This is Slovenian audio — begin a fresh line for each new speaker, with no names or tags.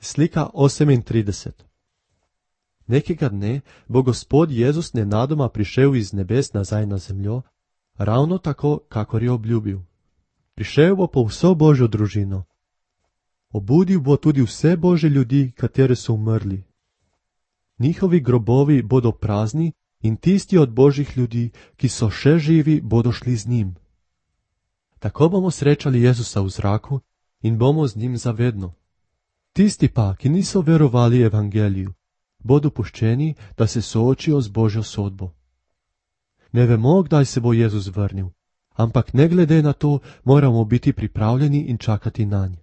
Slika 38. Nekega dne bo Gospod Jezus nenadoma prišel iz nebes nazaj na zemljo, ravno tako, kakor je obljubil. Prišel bo po vso Božjo družino. Obudil bo tudi vse Božje ljudi, katere so umrli. Njihovi grobovi bodo prazni in tisti od Božjih ljudi, ki so še živi, bodo šli z njim. Tako bomo srečali Jezusa v zraku in bomo z njim zavedno. Tisti pa, ki niso verovali evangeliju, bodo puščeni, da se soočijo z Božjo sodbo. Ne vemo, kdaj se bo Jezus vrnil, ampak ne glede na to moramo biti pripravljeni in čakati nanj.